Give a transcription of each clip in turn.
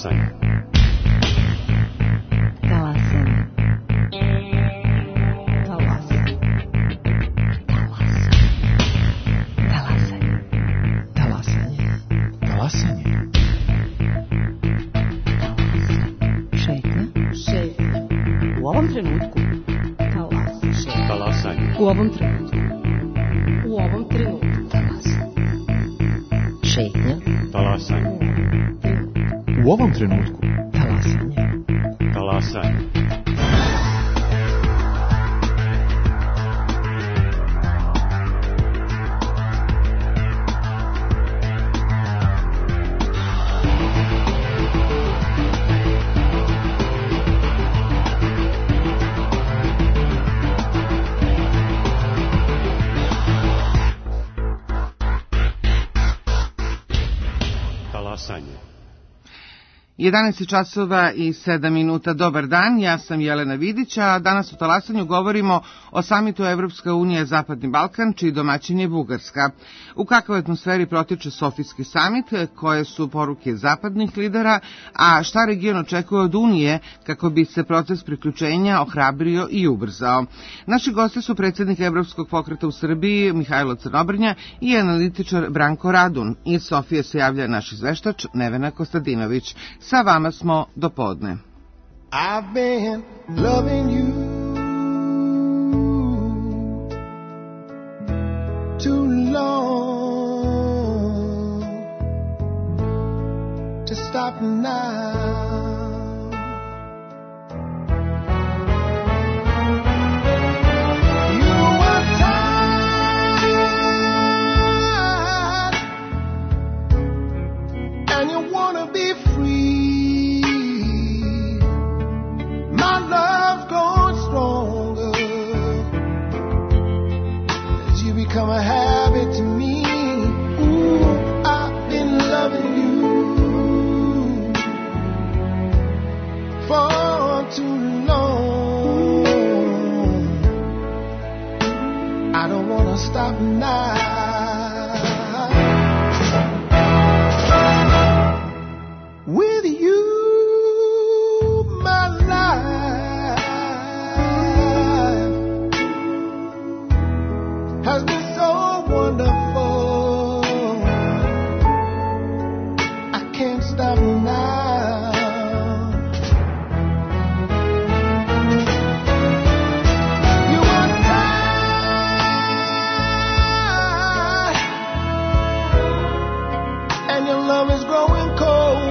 Talasanje. Talasanje. Talasanje. Talasanje. Talasanje. Talasanje. Šetnja. U ovom trenutku. Talasanje. U ovom trenutku. U ovom trenutku. Šetnja. Talasanje. U ovom trenutku. Talasanje. Talasanje. Talasanje. 11 časova i 7 minuta. Dobar dan, ja sam Jelena Vidić, a danas u Talasanju govorimo o samitu Evropska unija Zapadni Balkan, čiji domaćin je Bugarska. U kakvoj atmosferi protiče Sofijski samit, koje su poruke zapadnih lidera, a šta region očekuje od Unije kako bi se proces priključenja ohrabrio i ubrzao. Naši gosti su predsjednik Evropskog pokreta u Srbiji Mihajlo Crnobrnja i analitičar Branko Radun. Iz Sofije se javlja naš izveštač Nevena Kostadinović. Sa vama smo do podne. I've been loving you too long to stop now. You were tired and you wanna be free. My love's grown stronger as you become a habit to me. Ooh, I've been loving you for too long. I don't wanna stop now. With you, my life has been so wonderful. I can't stop now. You are tired, and your love is growing cold.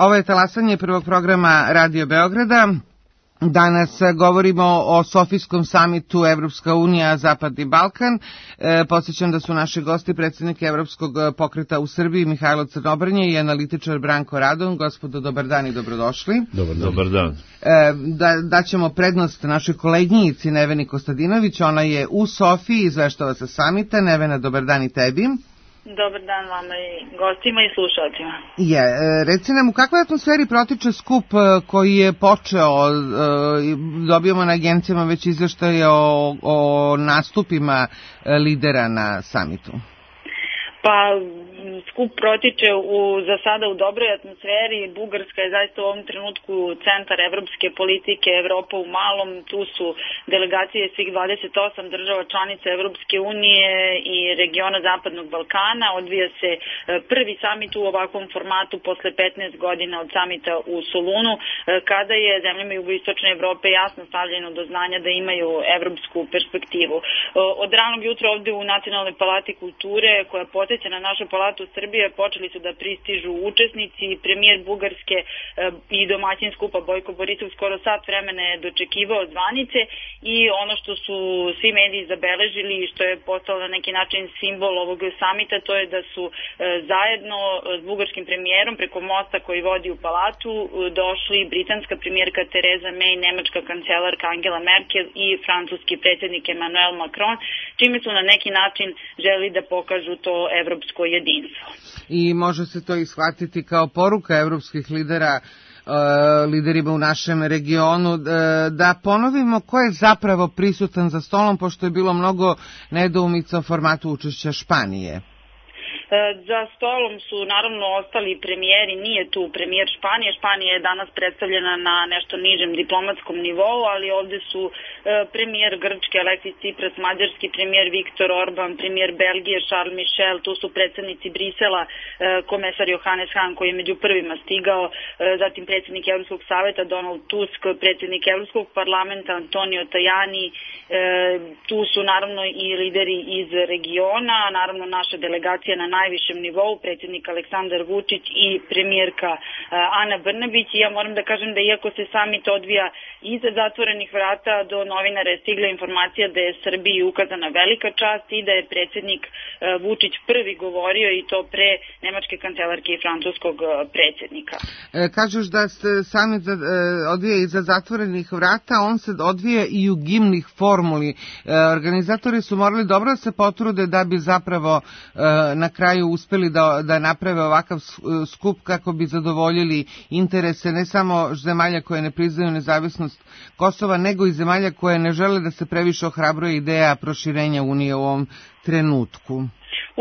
Ovo je Talasanje prvog programa Radio Beograda. Danas govorimo o Sofijskom samitu Evropska unija, Zapadni Balkan. Podsjećam da su naši gosti predsjednik Evropskog pokreta u Srbiji Mihajlo Crnobrnje i analitičar Branko Radon. Gospodo, dobar dan i dobrodošli. Dobar dan. Daćemo prednost našoj koleginici Neveni Kostadinović. Ona je u Sofiji, izveštava sa samita. Nevena, dobar dan i tebi. Dobar dan vama i gostima i slušalcima. Reci nam, u kakvoj atmosferi protiče skup koji je počeo, dobijamo na agencijama već izveštaje o nastupima lidera na samitu? Pa, skup protiče za sada u dobroj atmosferi. Bugarska je zaista u ovom trenutku centar evropske politike, Evropa u malom. Tu su delegacije svih 28 država članica Evropske unije i regiona Zapadnog Balkana. Odvija se prvi samit u ovakvom formatu posle 15 godina od samita u Solunu, kada je zemljama jugoistočne Evrope jasno stavljeno do znanja da imaju evropsku perspektivu. Od ranog jutra ovde u Nacionalnoj palati kulture, koja podsjeća na našu palatu Srbije, počeli su da pristižu učesnici. Premijer Bugarske i domaćin skupa Bojko Borisov skoro sat vremena je dočekivao zvanice i ono što su svi mediji zabeležili i što je postalo na neki način simbol ovog samita, to je da su zajedno s bugarskim premijerom preko mosta koji vodi u palatu došli britanska premijerka Tereza May, nemačka kancelarka Angela Merkel i francuski predsjednik Emmanuel Macron, čime su na neki način želi da pokažu to evropsko jedinstvo. I može se to ishvatiti kao poruka evropskih lidera, liderima u našem regionu, da ponovimo ko je zapravo prisutan za stolom, pošto je bilo mnogo nedoumica o formatu učešća Španije. Za stolom su naravno ostali premijeri, nije tu premijer Španije. Španija je danas predstavljena na nešto nižem diplomatskom nivou, ali ovde su premijer Grčke Aleksis Tsipras, mađarski premijer Viktor Orban, premijer Belgije Charles Michel, tu su predsednici Brisela, komesar Johannes Hahn koji je među prvima stigao, zatim predsednik Evropskog saveta Donald Tusk, predsednik Evropskog parlamenta Antonio Tajani, tu su naravno i lideri iz regiona, naravno naša delegacija na najvišem nivou, predsjednik Aleksandar Vučić i premijerka Ana Brnabić. I ja moram da kažem da iako se samit odvija iza zatvorenih vrata, do novinara je stigla informacija da je Srbiji ukazana velika čast i da je predsjednik Vučić prvi govorio i to pre nemačke kancelarke i francuskog predsjednika. Kažeš da se samit odvija iza zatvorenih vrata, on se odvija i u gimnih formuli. Organizatori su morali dobro da se potrude da bi zapravo na kraju uspeli da naprave ovakav skup kako bi zadovoljili interese ne samo zemalja koje ne priznaju nezavisnost Kosova, nego i zemalja koje ne žele da se previše ohrabruje ideja proširenja Unije u ovom trenutku.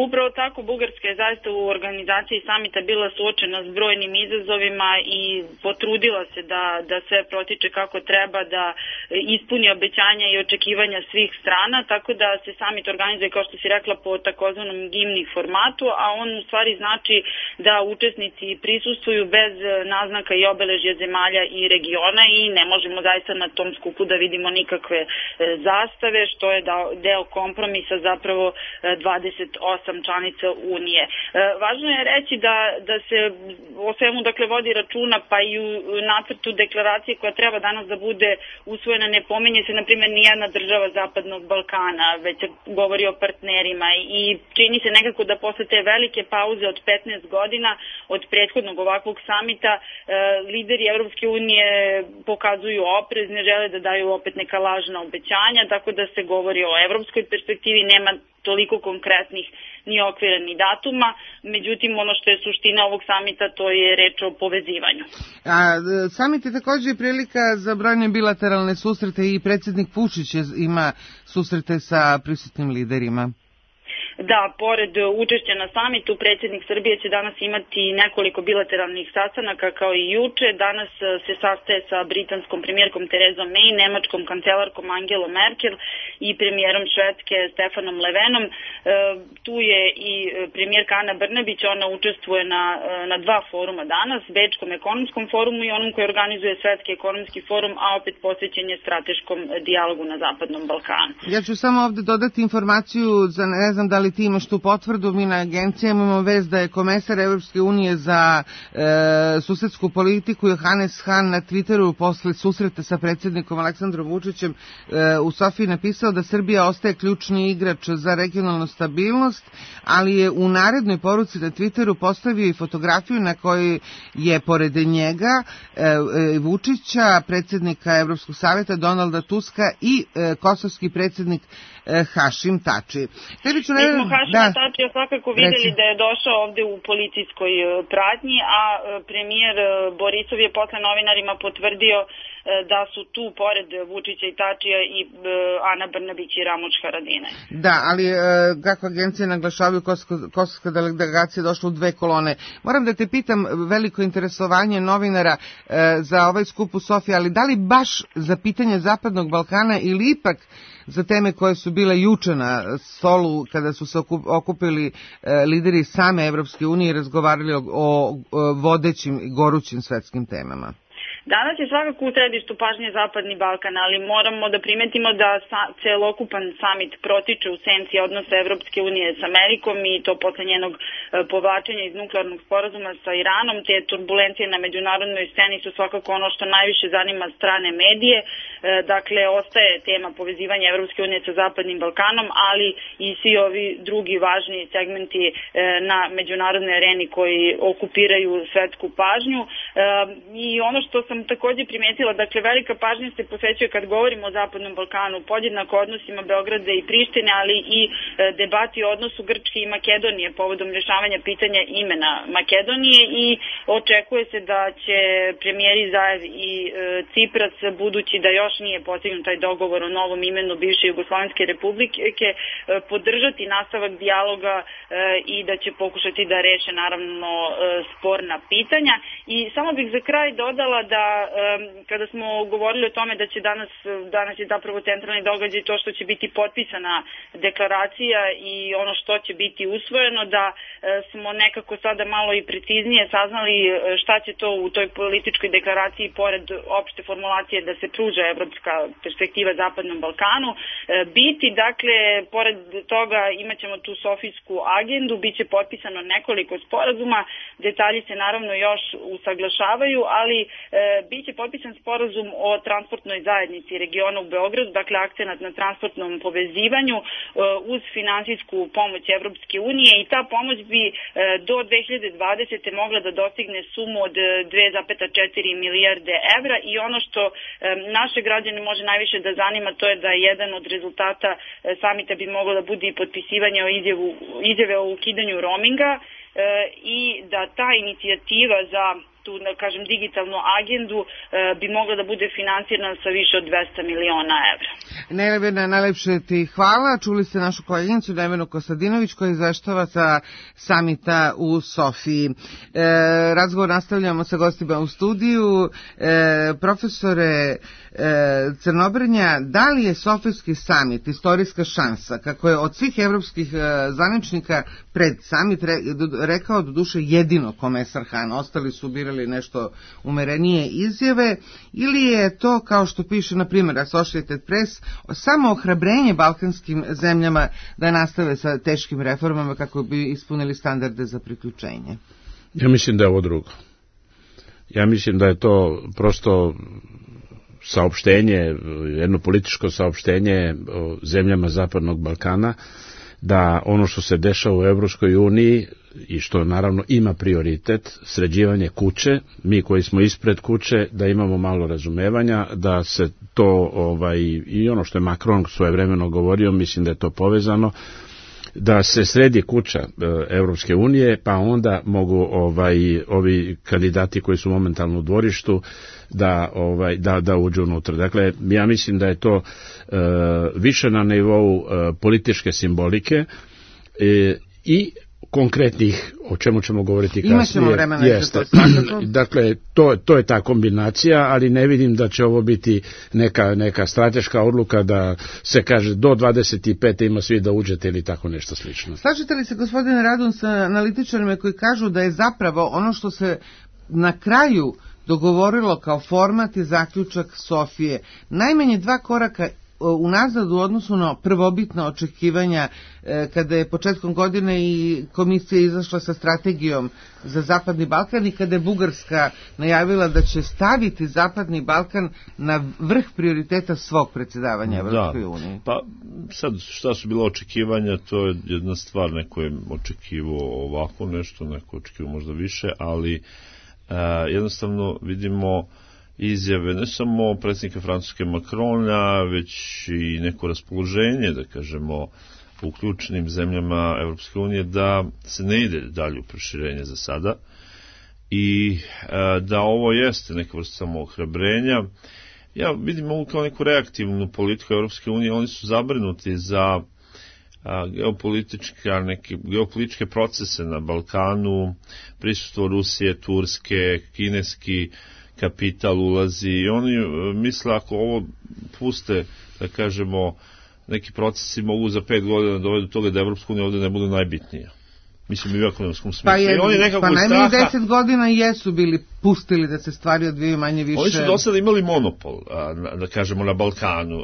Upravo tako, Bugarska je zaista u organizaciji samita bila suočena s brojnim izazovima i potrudila se da sve protiče kako treba, da ispuni obećanja i očekivanja svih strana, tako da se samit organizuje, kao što si rekla, po takozvanom gimnih formatu, a on u stvari znači da učesnici prisustvuju bez naznaka i obeležja zemalja i regiona i ne možemo zaista na tom skupu da vidimo nikakve zastave, što je deo kompromisa zapravo 28 članica Unije. Važno je reći da se o svemu vodi računa, pa i u nacrtu deklaracije koja treba danas da bude usvojena ne pominje se, na primjer, nijedna država Zapadnog Balkana, već se govori o partnerima i čini se nekako da posle te velike pauze od 15 godina od prethodnog ovakvog samita lideri Evropske unije pokazuju oprez, ne žele da daju opet neka lažna obećanja, tako da se govori o evropskoj perspektivi, nema toliko konkretnih ni okvira ni datuma, međutim ono što je suština ovog samita to je reč o povezivanju. Samit je također prilika za brojne bilateralne susrete i predsjednik Vučić ima susrete sa prisutnim liderima. Da, pored učešća na samitu, predsjednik Srbije će danas imati nekoliko bilateralnih sastanaka kao i juče. Danas se sastaje sa britanskom premijerkom Terezom May, nemačkom kancelarkom Angelom Merkel i premijerom Švedske Stefanom Löfvenom. Tu je i premijerka Ana Brnabić, ona učestvuje na dva foruma danas, Bečkom ekonomskom forumu i onom koji organizuje Svetski ekonomski forum, a opet posvećen je strateškom dijalogu na Zapadnom Balkanu. Ja ću samo ovde dodati informaciju, ne znam da li li ti imaš tu potvrdu, mi na agencijama imamo vez da je komesar Evropske unije za susedsku politiku Johannes Hahn na Twitteru posle susreta sa predsjednikom Aleksandrom Vučićem u Sofiji napisao da Srbija ostaje ključni igrač za regionalnu stabilnost, ali je u narednoj poruci na Twitteru postavio i fotografiju na kojoj je pored njega Vučića, predsjednika Evropskog savjeta Donalda Tuska i kosovski predsjednik Hašim Tači. Mi smo Hašima Tačija svakako vidjeli da je došao ovde u policijskoj pratnji, a premijer Borisov je posle novinarima potvrdio da su tu pored Vučića i Tačija i Ana Brnabić i Ramuš Haradinaj. Da, ali kako agencije naglašavaju, kosovska delegacija došla u 2 kolone. Moram da te pitam, veliko interesovanje novinara za ovaj skup u Sofiji, ali da li baš za pitanje Zapadnog Balkana ili ipak za teme koje su bile juče na stolu kada su se okupili lideri same Evropske unije i razgovarali o vodećim i gorućim svetskim temama? Danas je svakako u središtu pažnje Zapadni Balkan, ali moramo da primetimo da celokupan samit protiče u senci odnosa Evropske unije s Amerikom i to posle njenog povlačenja iz nuklearnog sporazuma sa Iranom. Te turbulencije na međunarodnoj sceni su svakako ono što najviše zanima strane medije. Dakle, ostaje tema povezivanja Evropske unije sa Zapadnim Balkanom, ali i svi ovi drugi važni segmenti na međunarodnoj areni koji okupiraju svetsku pažnju. I ono što sam takođe primetila, dakle, velika pažnja se posvećuje kad govorimo o Zapadnom Balkanu, podjednako odnosima Beograda i Prištine, ali i debati o odnosu Grčke i Makedonije povodom rješavanja pitanja imena Makedonije i očekuje se da će premijeri Zaev i Cipras, budući da još nije postignut taj dogovor o novom imenu bivše Jugoslovenske republike, podržati nastavak dijaloga i da će pokušati da reše naravno sporna pitanja. I samo bih za kraj dodala da kada smo govorili o tome da će danas je zapravo centralni događaj to što će biti potpisana deklaracija i ono što će biti usvojeno, da smo nekako sada malo i preciznije saznali šta će to u toj političkoj deklaraciji pored opšte formulacije da se pruža evropska perspektiva Zapadnom Balkanu biti. Dakle, pored toga imat ćemo tu sofijsku agendu, bit će potpisano nekoliko sporazuma, detalji se naravno još usaglašavaju, ali bit će potpisan sporazum o transportnoj zajednici regiona u Beogradu, dakle akcenat na transportnom povezivanju uz finansijsku pomoć Evropske unije i ta pomoć bi do 2020. mogla da dostigne sumu od 2,4 milijarde evra i ono što naše građane može najviše da zanima to je da jedan od rezultata samita bi moglo da bude i potpisivanje izjave o ukidanju roaminga i da ta inicijativa za tu, da kažem, digitalnu agendu bi mogla da bude finansirana sa više od 200 miliona evra. Nevena, najlepše ti hvala. Čuli ste našu koleginicu Nevenu Kostadinović koja izveštava sa samita u Sofiji. Razgovor nastavljamo sa gostima u studiju. Profesore Crnobrnja, da li je Sofijski samit istorijska šansa, kako je od svih evropskih zvaničnika pred samit rekao doduše jedino komesar Hahn, ostali su birali nešto umerenije izjave, ili je to, kao što piše na primjer Associated Press, samo ohrabrenje balkanskim zemljama da nastave sa teškim reformama kako bi ispunili standarde za priključenje? Ja mislim da je ovo drugo. Ja mislim da je to prosto saopštenje, jedno političko saopštenje o zemljama Zapadnog Balkana, da ono što se dešava u Evropskoj uniji i što naravno ima prioritet, sređivanje kuće, mi koji smo ispred kuće, da imamo malo razumevanja, da se to, i ono što je Macron svojevremeno govorio, mislim da je to povezano, da se sredi kuća Evropske unije, pa onda mogu ovi kandidati koji su momentalno u dvorištu da uđu unutra. Dakle, ja mislim da je to više na nivou političke simbolike i konkretnih, o čemu ćemo govoriti kasnije. Imaćemo vremena za to svakako. Dakle, to je ta kombinacija, ali ne vidim da će ovo biti neka strateška odluka da se kaže do 25. ima svi da uđete ili tako nešto slično. Slažete li se, gospodine Radun, sa analitičarima koji kažu da je zapravo ono što se na kraju dogovorilo kao format i zaključak Sofije najmanje 2 koraka unazad u odnosu na prvobitna očekivanja kada je početkom godine i komisija izašla sa strategijom za Zapadni Balkan i kada je Bugarska najavila da će staviti Zapadni Balkan na vrh prioriteta svog predsjedavanja Evropskoj uniji. Pa sad šta su bila očekivanja, to je jedna stvar, neko je očekivao ovako nešto, neko očekivao možda više, ali jednostavno vidimo izjave ne samo predsjednika Francuske Macrona, već i neko raspoloženje, da kažemo, u ključnim zemljama Evropske unije da se ne ide dalje u proširenje za sada i da ovo jeste neka vrsta samoohrabrenja. Ja vidim ovo kao neku reaktivnu politiku Evropske unije, oni su zabrinuti za geopolitičke procese na Balkanu, prisustvo Rusije, Turske, kineski kapital ulazi i oni misle ako ovo puste, da kažemo, neki procesi mogu za 5 godina dovedu do toga da Evropska unija ovdje ne bude najbitnija. Mislim i u ekonomskom smislu. Pa najmanje 10 godina jesu bili pustili da se stvari odvijaju manje više. Oni su do sada imali monopol, da kažemo, na Balkanu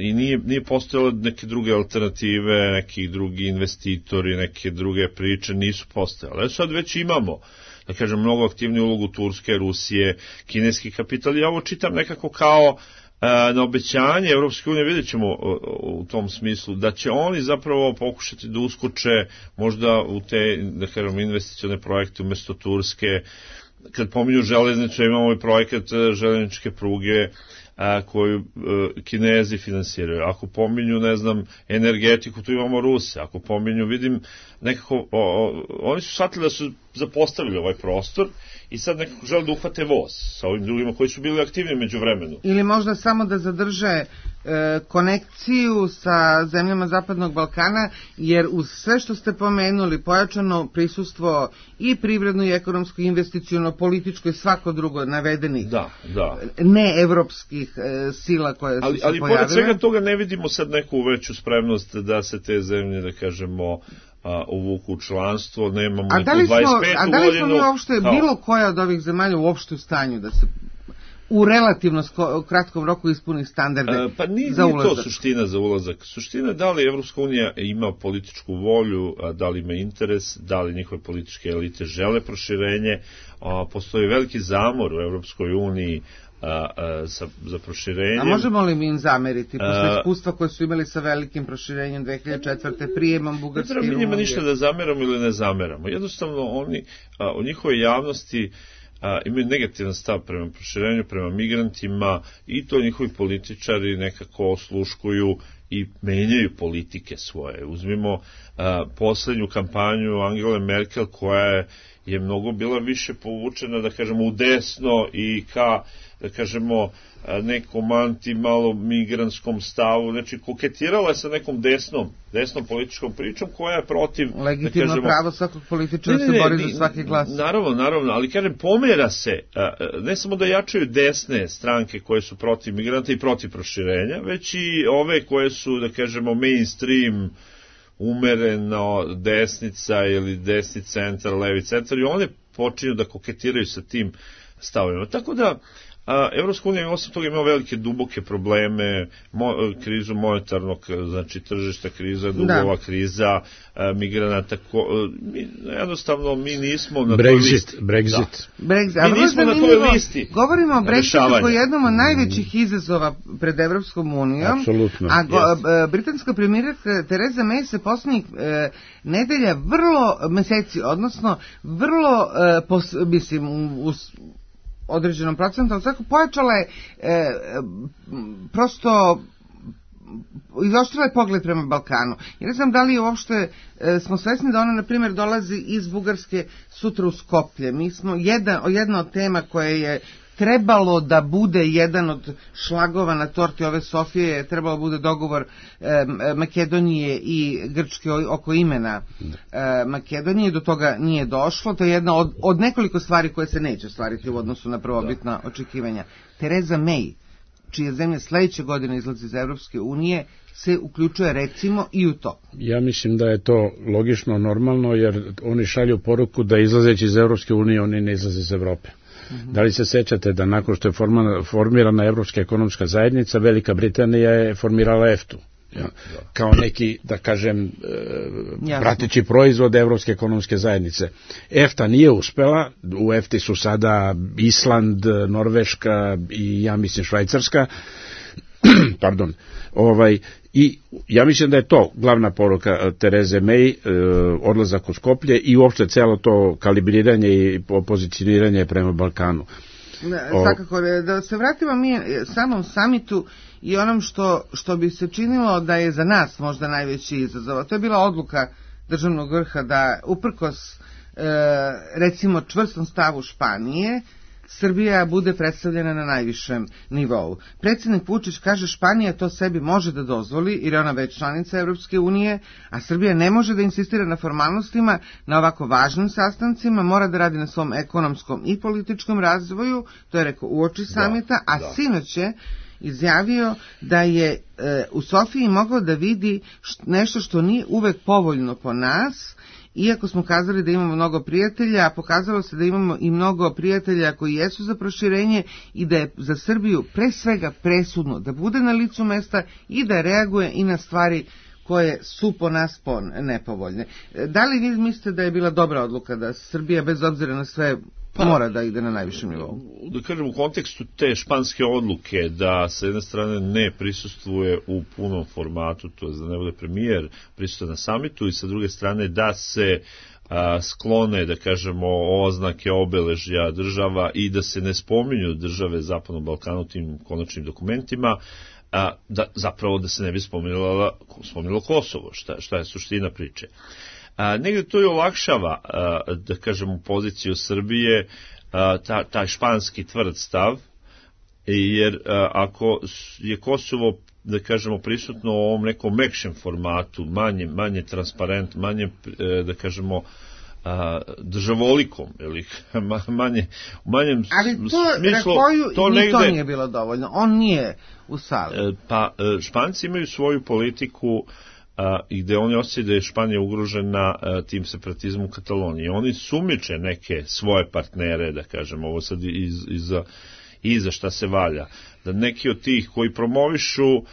i nije postojalo neke druge alternative, neki drugi investitori, neke druge priče nisu postojale. Sad već imamo, da kažem, mnogo aktivniju ulogu Turske, Rusije, kineski kapital. Ja ovo čitam nekako kao na obećanje Evropske unije, vidjet ćemo u tom smislu, da će oni zapravo pokušati da uskoče možda u te, da kažem, investicione projekte umjesto Turske. Kad pominju železnicu, imamo i projekat železničke pruge koju Kinezi finansiraju. Ako pominju, ne znam, energetiku, tu imamo Ruse. Ako pominju, vidim, nekako, oni su shvatili da su zapostavili ovaj prostor i sad nekako žele da uhvate voz sa ovim drugima koji su bili aktivni među vremenu. Ili možda samo da zadrže konekciju sa zemljama Zapadnog Balkana, jer uz sve što ste pomenuli, pojačano prisustvo i privredno i ekonomsko, investiciono, političko i svako drugo navedenih neevropskih sila koje su se pojavile. Ali pored svega toga ne vidimo sad neku veću spremnost da se te zemlje, da kažemo, uvuku u članstvo, nemamo neku 25. godinu. A da li smo mi uopšte, bilo koja od ovih zemalja uopšte u stanju da se u relativno kratkom roku ispuni standarde pa nije za ulazak? To suština za ulazak. Suština je da li Evropska unija ima političku volju, da li ima interes, da li njihove političke elite žele proširenje. Postoji veliki zamor u Evropskoj uniji za proširenje. A možemo li mi im zameriti posle iskustva koje su imali sa velikim proširenjem 2004. prijemom Bugarske i Rumunije? Ne treba mi njima ništa da zameramo ili ne zameramo. Jednostavno oni u njihovoj javnosti imaju negativan stav prema proširenju, prema migrantima i to njihovi političari nekako osluškuju i menjaju politike svoje. Uzmimo poslednju kampanju Angele Merkel koja je mnogo bila više povučena, da kažemo, u desno i ka, da kažemo, nekom malo migrantskom stavu, znači koketirala je sa nekom desnom političkom pričom koja je protiv, legitimno, da kažemo, pravo svakog političara se bori za svaki glas. Naravno, ali kažem, pomera se, ne samo da jačaju desne stranke koje su protiv migranta i protiv proširenja, već i ove koje su, da kažemo, mainstream, umereno desnica ili desni centar, levi centar, i one počinju da koketiraju sa tim stavovima. Tako da Evropska unija osim toga ima velike duboke probleme, krizu monetarnog, znači tržišta kriza, dugova kriza, migranata, jednostavno mi nismo na toj listi. Brexit. Mi nismo na toj listi. Govorimo o Brexitu koji je jednom od najvećih izazova pred Evropskom unijom. Apsolutno. A britanska premijerka Tereza May se posljednjih nedelja meseci, odnosno vrlo, mislim, određenom procentom, svako pojačala je prosto izoštrila je pogled prema Balkanu. Ja ne znam da li uopšte smo svesni da ona, na primjer, dolazi iz Bugarske sutra u Skoplje. Mi smo jedna od tema koje je trebalo da bude jedan od šlagova na torti ove Sofije, je trebalo bude dogovor Makedonije i Grčke oko imena Makedonije. Do toga nije došlo. To je jedna od nekoliko stvari koje se neće ostvariti u odnosu na prvobitna očekivanja. Tereza May čije zemlje sledeće godine izlaze iz Evropske unije, se uključuje recimo i u to? Ja mislim da je to logično, normalno, jer oni šalju poruku da izlazeći iz Evropske unije oni ne izlaze iz Evrope. Da li se sećate da nakon što je formirana Evropska ekonomska zajednica, Velika Britanija je formirala EFTA-u? Ja, kao neki, da kažem, prateći proizvod Evropske ekonomske zajednice. EFTA nije uspela, u EFTA su sada Island, Norveška i ja mislim Švajcarska, pardon, i ja mislim da je to glavna poruka Tereze May, odlazak u Skoplje i uopšte celo to kalibriranje i pozicioniranje prema Balkanu. Svakako, da se vratimo mi samom samitu i onom što bi se činilo da je za nas možda najveći izazov. To je bila odluka državnog vrha da uprkos recimo čvrstom stavu Španije, Srbija bude predstavljena na najvišem nivou. Predsjednik Vučić kaže Španija to sebi može da dozvoli jer je ona već članica Evropske unije, a Srbija ne može da insistira na formalnostima na ovako važnim sastancima, mora da radi na svom ekonomskom i političkom razvoju, to je rekao uoči samita, a sinoć je izjavio da je u Sofiji mogao da vidi nešto što nije uvek povoljno po nas, iako smo kazali da imamo mnogo prijatelja, a pokazalo se da imamo i mnogo prijatelja koji jesu za proširenje i da je za Srbiju pre svega presudno da bude na licu mesta i da reaguje i na stvari koje su po nas nepovoljne. Da li vi mislite da je bila dobra odluka da Srbija bez obzira na sve mora da ide na najvišem nivou? Da kažem, u kontekstu te španske odluke da sa jedne strane ne prisustvuje u punom formatu, to je da ne bude premijer prisutno na samitu, i sa druge strane da se sklone, da kažemo, oznake obeležja država i da se ne spominju države Zapadnog Balkana u tim konačnim dokumentima, zapravo da se ne bi spomenulo Kosovo, šta je suština priče. Negde to i olakšava, da kažemo, poziciju Srbije, taj španski tvrd stav, jer ako je Kosovo, da kažemo, prisutno u ovom nekom mekšem formatu, manje transparent, manje, da kažemo, državolikom, ili manjem smislu, to negde nije bilo dovoljno, on nije u sali. Pa Španci imaju svoju politiku i gde oni osjećaju da je Španija ugrožena tim separatizmom u Kataloniji. Oni sumiče neke svoje partnere, da kažemo, ovo sad iza šta se valja, da neki od tih koji promovišu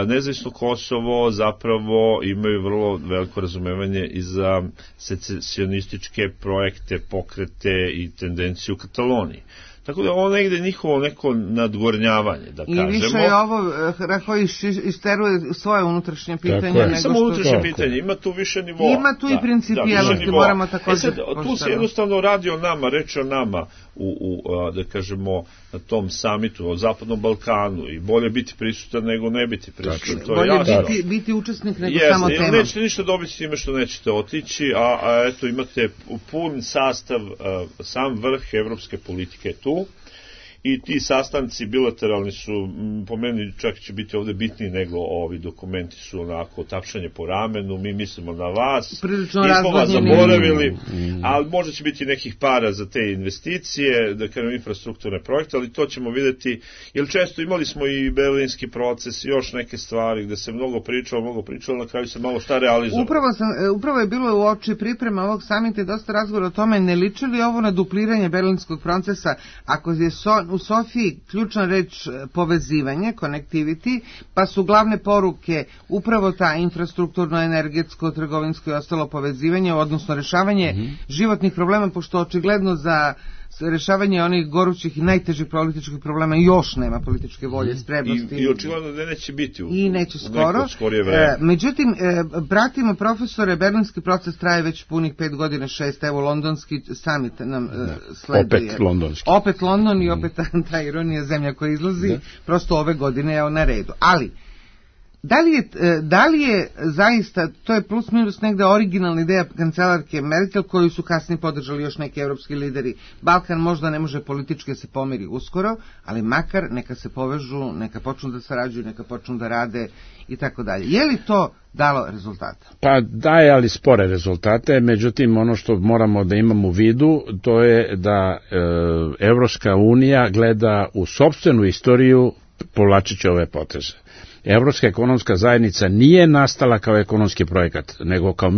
nezavisno Kosovo zapravo imaju vrlo veliko razumevanje i za secesionističke projekte, pokrete i tendenciju u Kataloniji. Tako da ovo negde njihovo neko nadgornjavanje, da kažemo. I više je ovo koji isteruje svoje unutrašnje pitanje. Ne samo unutrašnje pitanje, ima tu više nivoa. Ima tu i principijalnosti, moramo također tu se jednostavno radi o nama, reči o nama, da kažemo, na tom samitu, o Zapadnom Balkanu, i bolje biti prisutan nego ne biti prisutan. To je bolje biti učesnik nego samo tema. Nećete ništa dobiti s time što nećete otići, a eto imate pun sastav, sam vrh evropske politike tu, i ti sastanci bilateralni su, po meni čak će biti ovde bitniji nego ovi dokumenti, su onako tapšanje po ramenu, mi mislimo na vas, nismo vas zaboravili, ali možda će biti nekih para za te investicije, da kažem infrastrukturne projekte, ali to ćemo videti, jer često imali smo i berlinski proces i još neke stvari gde se mnogo pričalo, na kraju se malo šta realizovalo. Upravo je bilo u oči priprema ovog samita i dosta razgovora o tome, ne liči li ovo na dupliranje berlinskog procesa, ako je u Sofiji ključna reč povezivanje, connectivity, pa su glavne poruke upravo ta infrastrukturno, energetsko, trgovinsko i ostalo povezivanje, odnosno rešavanje životnih problema, pošto očigledno za rešavanje onih gorućih i najtežih političkih problema još nema političke volje, spremnosti. I očigledno da neće biti i neće skoro. Međutim, pratimo profesore, berlinski proces traje već punih 5 godina, 6, evo londonski summit nam sleduje. Opet London i opet ta ironija, zemlja koja izlazi, prosto ove godine je na redu. Ali, da li je zaista, to je plus minus negde originalna ideja kancelarke Merkel, koju su kasnije podržali još neki evropski lideri. Balkan možda ne može politički se pomiri uskoro, ali makar neka se povežu, neka počnu da sarađuju, neka počnu da rade i tako dalje. Je li to dalo rezultata? Pa daje, ali spore rezultate, međutim ono što moramo da imamo u vidu, to je da Evropska unija gleda u sopstvenu istoriju povlačeći ove poteze. Evropska ekonomska zajednica nije nastala kao ekonomski projekat, nego kao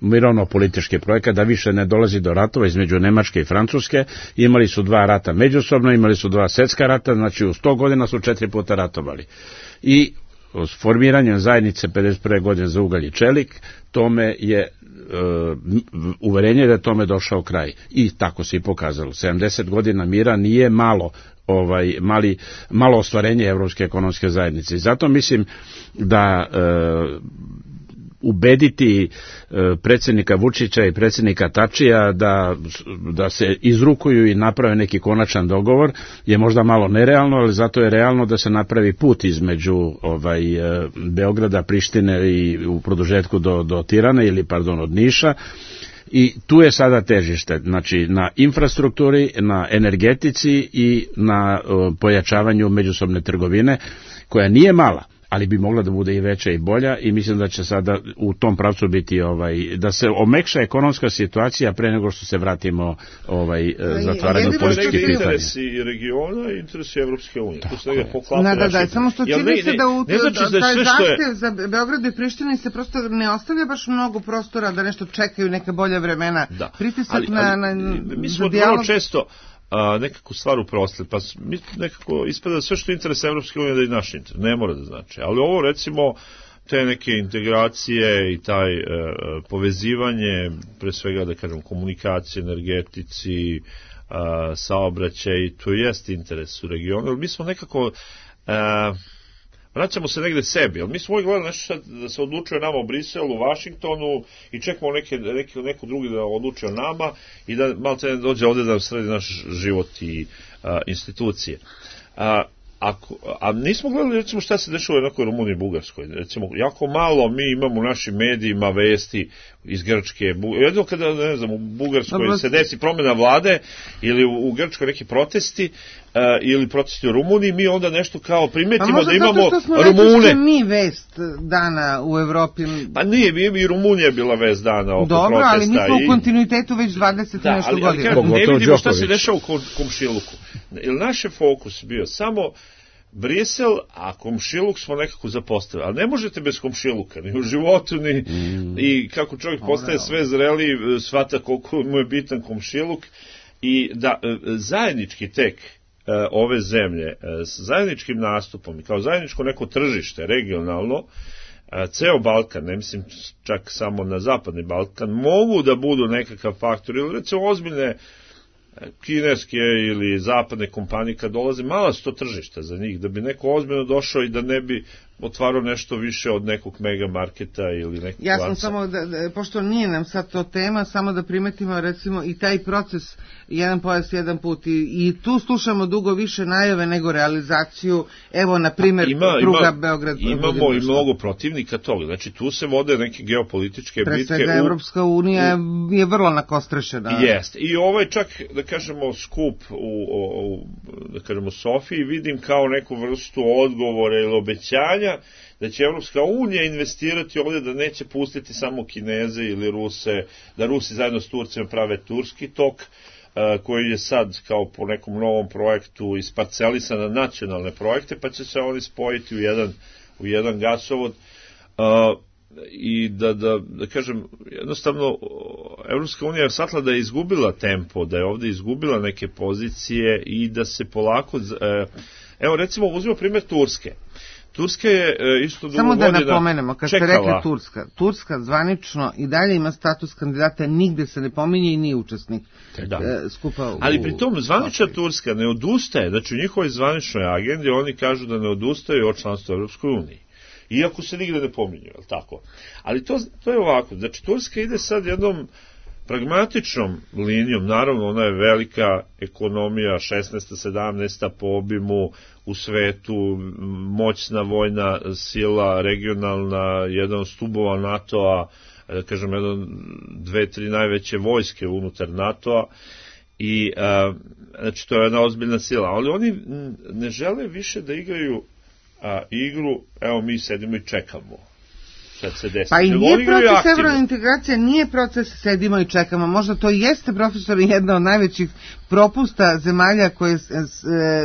mirovno-politički projekat, da više ne dolazi do ratova između Nemačke i Francuske. Imali su 2 rata međusobno, imali su 2 svjetska rata, znači u 100 godina su 4 puta ratovali. I s formiranjem zajednice 51. godine za ugalj i čelik, tome je uverenje da je tome došao kraj. I tako se i pokazalo. 70 godina mira nije malo malo ostvarenje Evropske ekonomske zajednice. I zato mislim da ubediti predsjednika Vučića i predsjednika Tačija da se izrukuju i naprave neki konačan dogovor je možda malo nerealno, ali zato je realno da se napravi put između Beograda, Prištine i u produžetku do Tirane ili od Niša. I tu je sada težište, znači na infrastrukturi, na energetici i na pojačavanju međusobne trgovine, koja nije mala, ali bi mogla da bude i veća i bolja, i mislim da će sada u tom pravcu biti da se omekša ekonomska situacija pre nego što se vratimo zatvaranju političkih pitanja. Interesi regiona i interesi Evropske unije. Tu se negdje poklapa. Da, samo što čini se da taj zahtev za Beograd i Prištini se prosto ne ostavlja baš mnogo prostora da nešto čekaju neka bolja vremena. Pritisak na mi smo vrlo često nekako stvar uprostili, pa nekako ispada sve što je interes Evropske unije da je naš interes, ne mora da znači, ali ovo recimo te neke integracije i taj povezivanje, pre svega da kažem komunikacije, energetici, saobraćaj, to jest interes u regionu, ali mi smo nekako vraćamo se negde sebi, ali mi smo uvijek gledali nešto da se odlučuje nama u Briselu, u Vašingtonu i čekamo neko drugi da odlučuje o nama i da malo te dođe ovdje da sredi naš život i institucije. A nismo gledali recimo šta se dešava u nekoj Rumuniji i Bugarskoj. Recimo, jako malo mi imamo u našim medijima vesti iz Grčke. Jedno kada, ne znam, u Bugarskoj se desi promjena vlade ili u Grčkoj neki protesti ili protesti u Rumuniji, mi onda nešto kao primetimo da imamo Rumune. Pa možda zato što smo mi vest dana u Evropi. Pa nije, i Rumunija bila vest dana oko protesta. Dobro, ali mi smo u kontinuitetu već 20 nešto godina. Ne vidimo šta se dešava u komšiluku. Naš je fokus bio samo Brisel, a komšiluk smo nekako zapostavili. Ali ne možete bez komšiluka, ni u životu, ni i kako čovjek postaje sve zreliji, shvata koliko mu je bitan komšiluk. I da zajednički tek ove zemlje, s zajedničkim nastupom i kao zajedničko neko tržište, regionalno, ceo Balkan, ne mislim čak samo na zapadni Balkan, mogu da budu nekakav faktor, ili recimo ozbiljne kineske ili zapadne kompanije kad dolaze, mala su to tržišta za njih, da bi neko ozbiljno došao i da ne bi otvarao nešto više od nekog mega marketa ili nekog Ja sam samo, pošto nije nam sad to tema, samo da primetimo recimo i taj proces jedan pojas, jedan put i tu slušamo dugo više najave nego realizaciju, evo na primjer pruga Beograd. Imamo i mnogo protivnika toga, znači tu se vode neke geopolitičke bitke. Pre svega Evropska unija je vrlo nakostrešena. Jeste, i ovaj čak, da kažemo, skup da kažemo Sofiji vidim kao neku vrstu odgovora ili obećanja da će Evropska unija investirati ovdje, da neće pustiti samo Kineze ili Ruse, da Rusi zajedno s Turcima prave turski tok, koji je sad kao po nekom novom projektu isparcelisan na nacionalne projekte, pa će se oni spojiti u jedan gasovod. I da kažem, jednostavno Evropska unija je shvatila da je izgubila tempo, da je ovdje izgubila neke pozicije i da se polako evo recimo uzmimo primjer Turske. Turska je isto dugo godina Samo da napomenemo, kad ste rekli Turska zvanično i dalje ima status kandidata, nigde se ne pominje i nije učesnik skupa ali pritom zvanična Turska ne odustaje, znači u njihovoj zvaničnoj agendi oni kažu da ne odustaju od članstva u Evropskoj uniji. Iako se nigde ne pominju, je li tako? Ali to je ovako, znači Turska ide sad jednom pragmatičnom linijom, naravno ona je velika ekonomija, 16. 17. po obimu u svetu, moćna vojna sila, regionalna, jedan od stubova NATO-a, da kažem, dve, tri najveće vojske unutar NATO-a, i znači to je jedna ozbiljna sila, ali oni ne žele više da igraju igru, evo mi sedimo i čekamo. šta će se desiti. Pa i Nego nije oni igraju proces aktivno. evrointegracija, nije proces sedimo i čekamo. Možda to jeste, profesor, jedna od najvećih propusta zemalja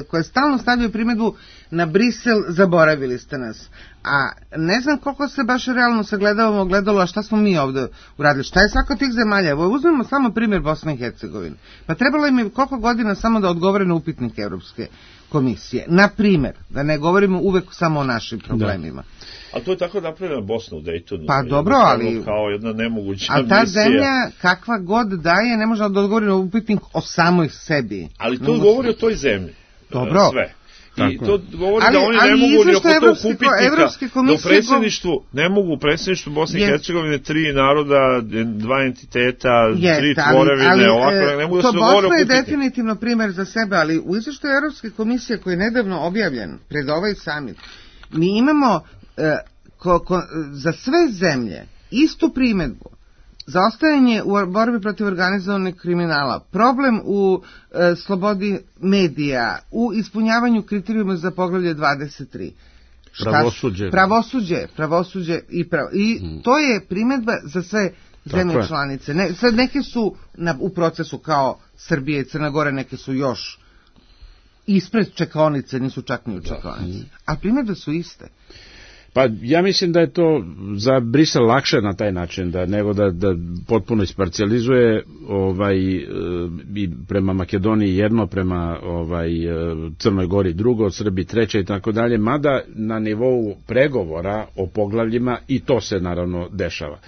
koje stalno stavljaju primjedbu na Brisel, zaboravili ste nas. A ne znam koliko se baš realno sagledavamo gledalo, a šta smo mi ovdje uradili, šta je svaka tih zemalja. Evo, uzmemo samo primjer Bosne i Hercegovine. Pa trebalo im je koliko godina samo da odgovore na upitnik Evropske komisije. Na primjer, da ne govorimo uvek samo o našim problemima. A to je tako napravljena Bosna u Daytonu. Pa dobro, ali... Kao jedna nemoguća misija. A ta misija. zemlja, kakva god daje, ne može da odgovori na upitnik o samoj sebi. Ali to govori o toj zemlji. Dobro. Sve. I to govori da oni ne mogu ni oko tog upitnika, da u predsjedništvu ne mogu u predsjedništvu Bosne i Hercegovine 3 naroda, 2 entiteta, 3 tvorevine, ovako, ne mogu da se dogovore o Bosna je upitnika. definitivno primjer za sebe, ali u izveštaju Evropske komisije koji je nedavno objavljen pred ovaj summit, mi imamo za sve zemlje istu primjedbu. Zaostajanje u borbi protiv organizovanog kriminala, problem u slobodi medija, u ispunjavanju kriterijuma za poglavlje 23. Pravosuđe i to je primjedba za sve zemlje članice. Sad neke su u procesu kao Srbija i Crna Gora, neke su još ispred čekaonice, nisu čak ni u čekaonici. A primjedbe su iste. Pa ja mislim da je to za Brisel lakše na taj način, nego da potpuno isparcijalizuje i prema Makedoniji jedno, prema Crnoj Gori drugo, Srbiji treće i tako dalje, mada na nivou pregovora o poglavljima i to se naravno dešava.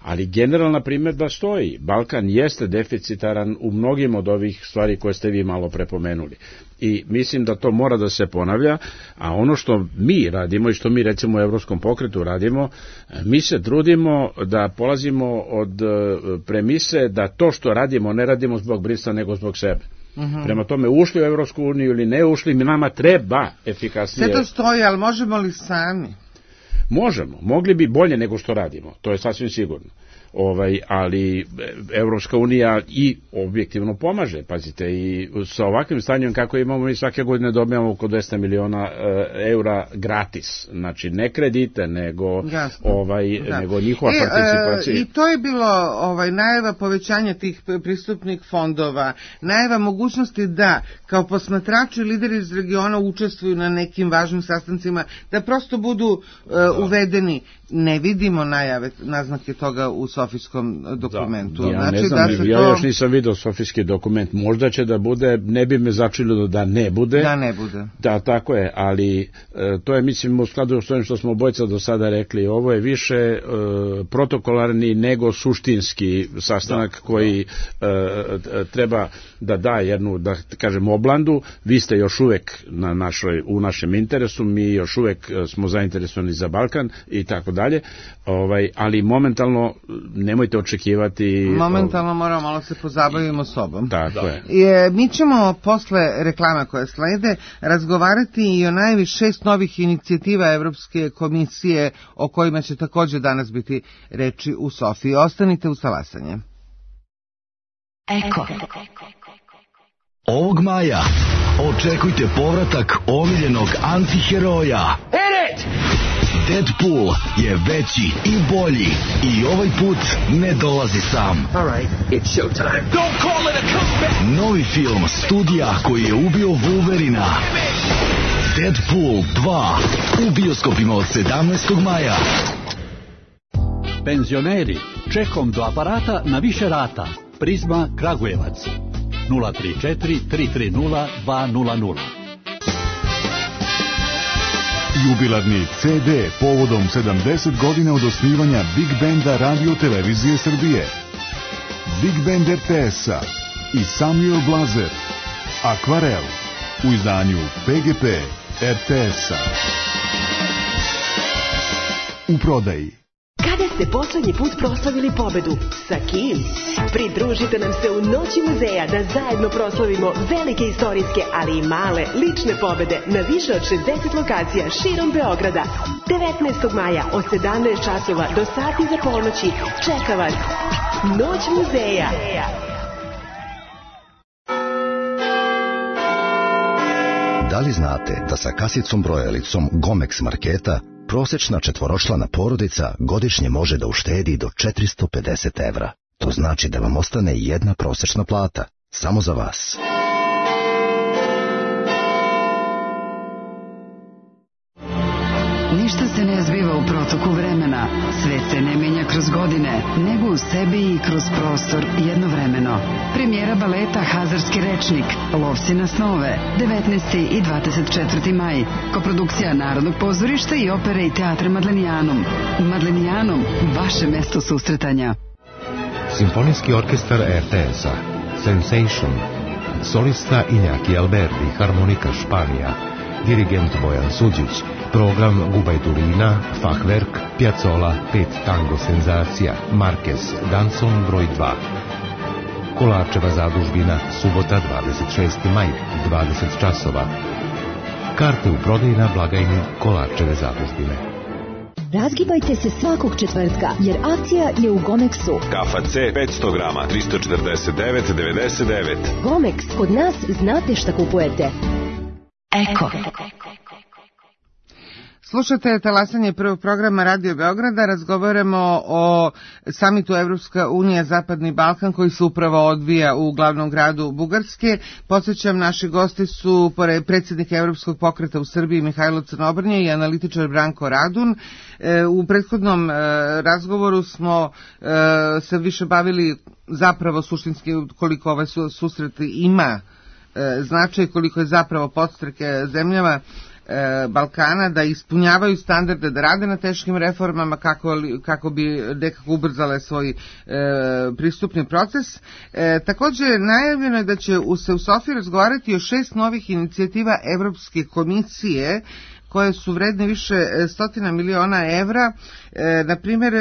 Ali generalna primjedba stoji. Balkan jeste deficitaran u mnogim od ovih stvari koje ste vi malo prepomenuli. I mislim da to mora da se ponavlja, a ono što mi radimo i što mi recimo u Evropskom pokretu radimo, mi se trudimo da polazimo od premise da to što radimo ne radimo zbog Brisela nego zbog sebe. Prema tome, ušli u Evropsku uniju ili ne ušli, nama treba efikasnije. Sve to stoji, ali možemo li sami? Možemo, mogli bi bolje nego što radimo, to je sasvim sigurno. Ali Evropska unija i objektivno pomaže, pazite, i sa ovakvim stanjem kako imamo, mi svake godine dobijamo oko 200 miliona eura gratis, znači ne kredite, nego nego njihova participacija. I to je bilo najava povećanja tih pristupnih fondova, najava mogućnosti da kao posmatrači lideri iz regiona učestvuju na nekim važnim sastancima, da prosto budu uvedeni. Ne vidimo naznake toga u Sofijskom dokumentu. Ja ne znam, ja još nisam vidio Sofijski dokument, možda će da bude, ne bi me začinilo da ne bude. Da ne bude. Da, tako je, ali to je, mislim, u skladu s ovim što smo obojica do sada rekli, ovo je više protokolarni nego suštinski sastanak koji treba da da jednu, da kažem, oblandu. Vi ste još uvek u našem interesu, mi još uvek smo zainteresovani za Balkan i tako dalje, ali momentalno nemojte očekivati... Momentalno moramo malo se pozabavimo sobom. Tako je. Mi ćemo posle reklama koje slede razgovarati i o najvi 6 novih inicijativa Evropske komisije o kojima će također danas biti reči u Sofiji. Ostanite uz talasanje. Eko. Ovog maja očekujte povratak omiljenog antiheroja. Deadpool je veći i bolji i ovaj put ne dolazi sam. It's showtime. Don't call it a comeback. Novi film studija koji je ubio Wolverina. Deadpool 2 u bioskopima od 17. maja. Penzioneri, čekom do aparata na više rata. Prizma Kragujevac 034 330 200. Jubilarni CD povodom 70 godina od osnivanja Big Banda Radio Televizije Srbije. Big Band RTS-a i Samuel Blazer. Akvarel u izdanju PGP RTS-a. U prodaji. Kada ste poslednji put proslavili pobedu? Sa kim? Pridružite nam se u Noći muzeja da zajedno proslavimo velike istorijske, ali i male, lične pobede na više od 60 lokacija širom Beograda. 19. maja od 17 časova do sati za ponoći. Čeka vas Noć muzeja. Da li znate da sa kasicom brojalicom Gomex marketa prosječna četvoročlana porodica godišnje može da uštedi do 450 evra. To znači da vam ostane jedna prosječna plata, samo za vas. Ništa se ne zbiva u protoku vremena, svet se ne menja kroz godine, nego u sebi i kroz prostor jednovremeno. Premijera baleta Hazarski rečnik, Lovci na snove, 19. i 24. maj. Koprodukcija Narodnog pozorišta i opere i teatra Madlenijanum. Madlenijanum, vaše mesto susretanja. Simfonijski orkestar RTS-a, Sensation, solista Iñaki Alberti, harmonika Španija, dirigent Bojan Suđić, program Gubajturina, Fachwerk, Piazzolla, 5 tango senzacija, Marquez, Danson broj 2. Kolarčeva zadužbina, subota 26. maj, 20 časova. Karte u prodaji na blagajni Kolarčeve zadužbine. Razgibajte se svakog četvrtka, jer akcija je u Gomexu. Kafa C 500 grama, 349,99. Gomex, kod nas znate šta kupujete. Eko. Slušate talasanje prvog programa Radio Beograda, razgovaramo o samitu Evropska unija Zapadni Balkan koji se upravo odvija u glavnom gradu Bugarske. Podsjećam, naši gosti su predsjednik Evropskog pokreta u Srbiji Mihajlo Crnobrnje i analitičar Branko Radun. U prethodnom razgovoru smo se više bavili zapravo suštinski koliko ovaj susret ima značaj, koliko je zapravo podstrek zemljama Balkana da ispunjavaju standarde, da rade na teškim reformama kako bi nekako ubrzale svoj pristupni proces. Također najavljeno je da će se u Sofiji razgovarati o 6 novih inicijativa Evropske komisije koje su vredne više stotina miliona evra. Na primjer,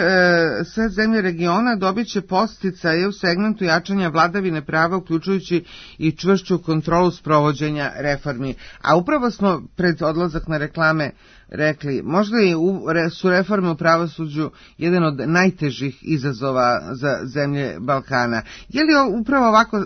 sve zemlje regiona dobit će podsticaje u segmentu jačanja vladavine prava, uključujući i čvršću kontrolu sprovođenja reformi. A upravo smo pred odlazak na reklame rekli, možda su reforme u pravosuđu jedan od najtežih izazova za zemlje Balkana. Je li upravo ovako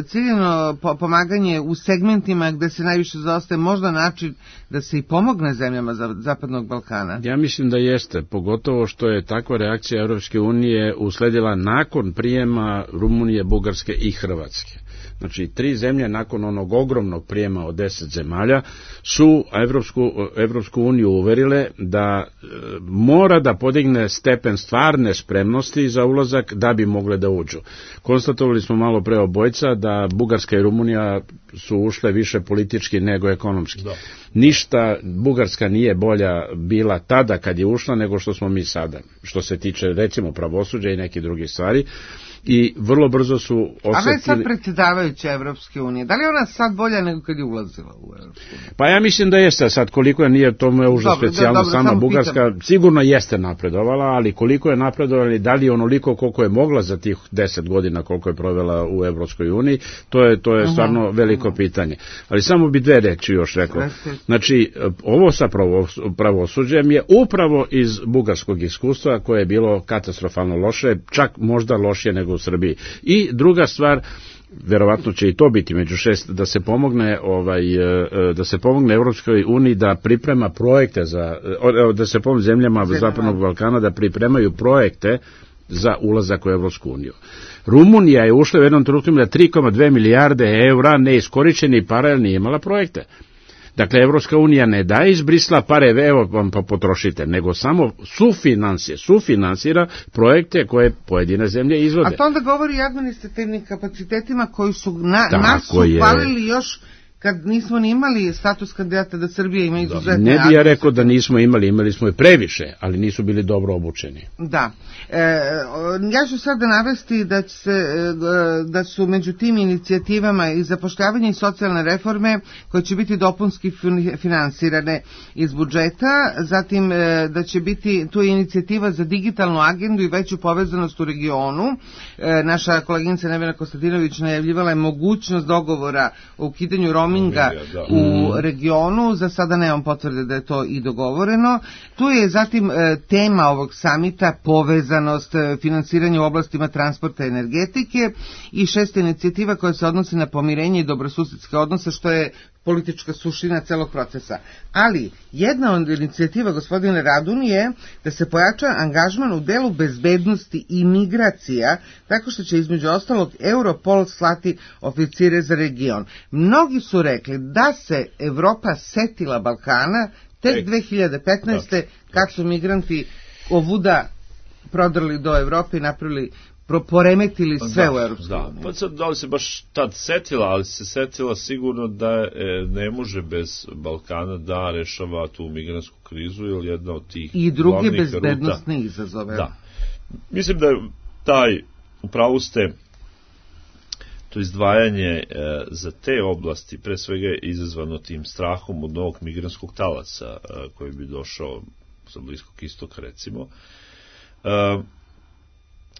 ciljeno pomaganje u segmentima gde se najviše zaostaje možda način da se i pomogne zemljama Zapadnog Balkana? Ja mislim da jeste, pogotovo što je takva reakcija Europske unije usledila nakon prijema Rumunije, Bugarske i Hrvatske. Znači, 3 zemlje nakon onog ogromnog prijema od 10 zemalja su Evropsku uniju uverile da mora da podigne stepen stvarne spremnosti za ulazak da bi mogle da uđu. Konstatovali smo malo pre obojca da Bugarska i Rumunija su ušle više politički nego ekonomski. Da. Ništa Bugarska nije bolja bila tada kad je ušla nego što smo mi sada, što se tiče recimo pravosuđa i nekih drugih stvari. I vrlo brzo su osjetili... A ne sad predsjedavajuća Evropske unije, da li je ona sad bolja nego kad je ulazila u Evropsku uniju? Pa ja mislim da jeste, sad koliko je nije, to je užas specijalno sama Bugarska, pitam. Sigurno jeste napredovala, ali koliko je napredovala i da li je onoliko koliko je mogla za tih 10 godina koliko je provela u Evropskoj uniji, to je stvarno veliko pitanje. Ali samo bi 2 reči još rekao. Znači, ovo sa pravosuđem je upravo iz bugarskog iskustva koje je bilo katastrofalno loše, čak možda lošije nego u Srbiji. I druga stvar, verovatno će i to biti među 6, da se pomogne Evropskoj uniji da priprema projekte da se pomogne zemljama Zapadnog Balkana da pripremaju projekte za ulazak u Evropsku uniju. Rumunija je ušla u jednom trenutku na 3,2 milijarde evra neiskorišćenih para jer nije imala projekte. Dakle, Evropska unija ne daje iz Brisla pare, evo vam pa potrošite, nego samo sufinansira projekte koje pojedine zemlje izvode. A to onda govori i administrativnim kapacitetima koji su nas su falili još kad nismo ni imali status kandidata da Srbija ima izuzetne... Ne bi ja rekao da nismo imali smo i previše, ali nisu bili dobro obučeni. Da. Ja ću sada navesti da su među tim inicijativama i zapošljavanje i socijalne reforme koje će biti dopunski finansirane iz budžeta, zatim da će biti tu inicijativa za digitalnu agendu i veću povezanost u regionu. Naša koleginica Nevena Kostadinović najavljivala je mogućnost dogovora o ukidanju roaminga u regionu, za sada nemam potvrde da je to i dogovoreno. Tu je zatim tema ovog samita povezanost, finansiranje u oblastima transporta i energetike i 6. inicijativa koja se odnosi na pomirenje i dobrosusedske odnose, što je politička suština celog procesa. Ali jedna od inicijativa gospodine Radun je da se pojača angažman u delu bezbednosti i migracija, tako što će između ostalog Europol slati oficire za region. Mnogi su rekli da se Evropa setila Balkana tek 2015. kad su migranti ovuda prodrli do Evrope i napravili, poremetili sve u Europskoj uniji. Pa sad, da li se baš tad setila, ali se setila sigurno da ne može bez Balkana da rešava tu migrantsku krizu, ili jedna od tih i druge bezbednostne izazove. Da. Mislim da je taj, upravo ste, to izdvajanje za te oblasti, pre svega je izazvano tim strahom od novog migrantskog talasa koji bi došao sa Bliskog istoka, recimo.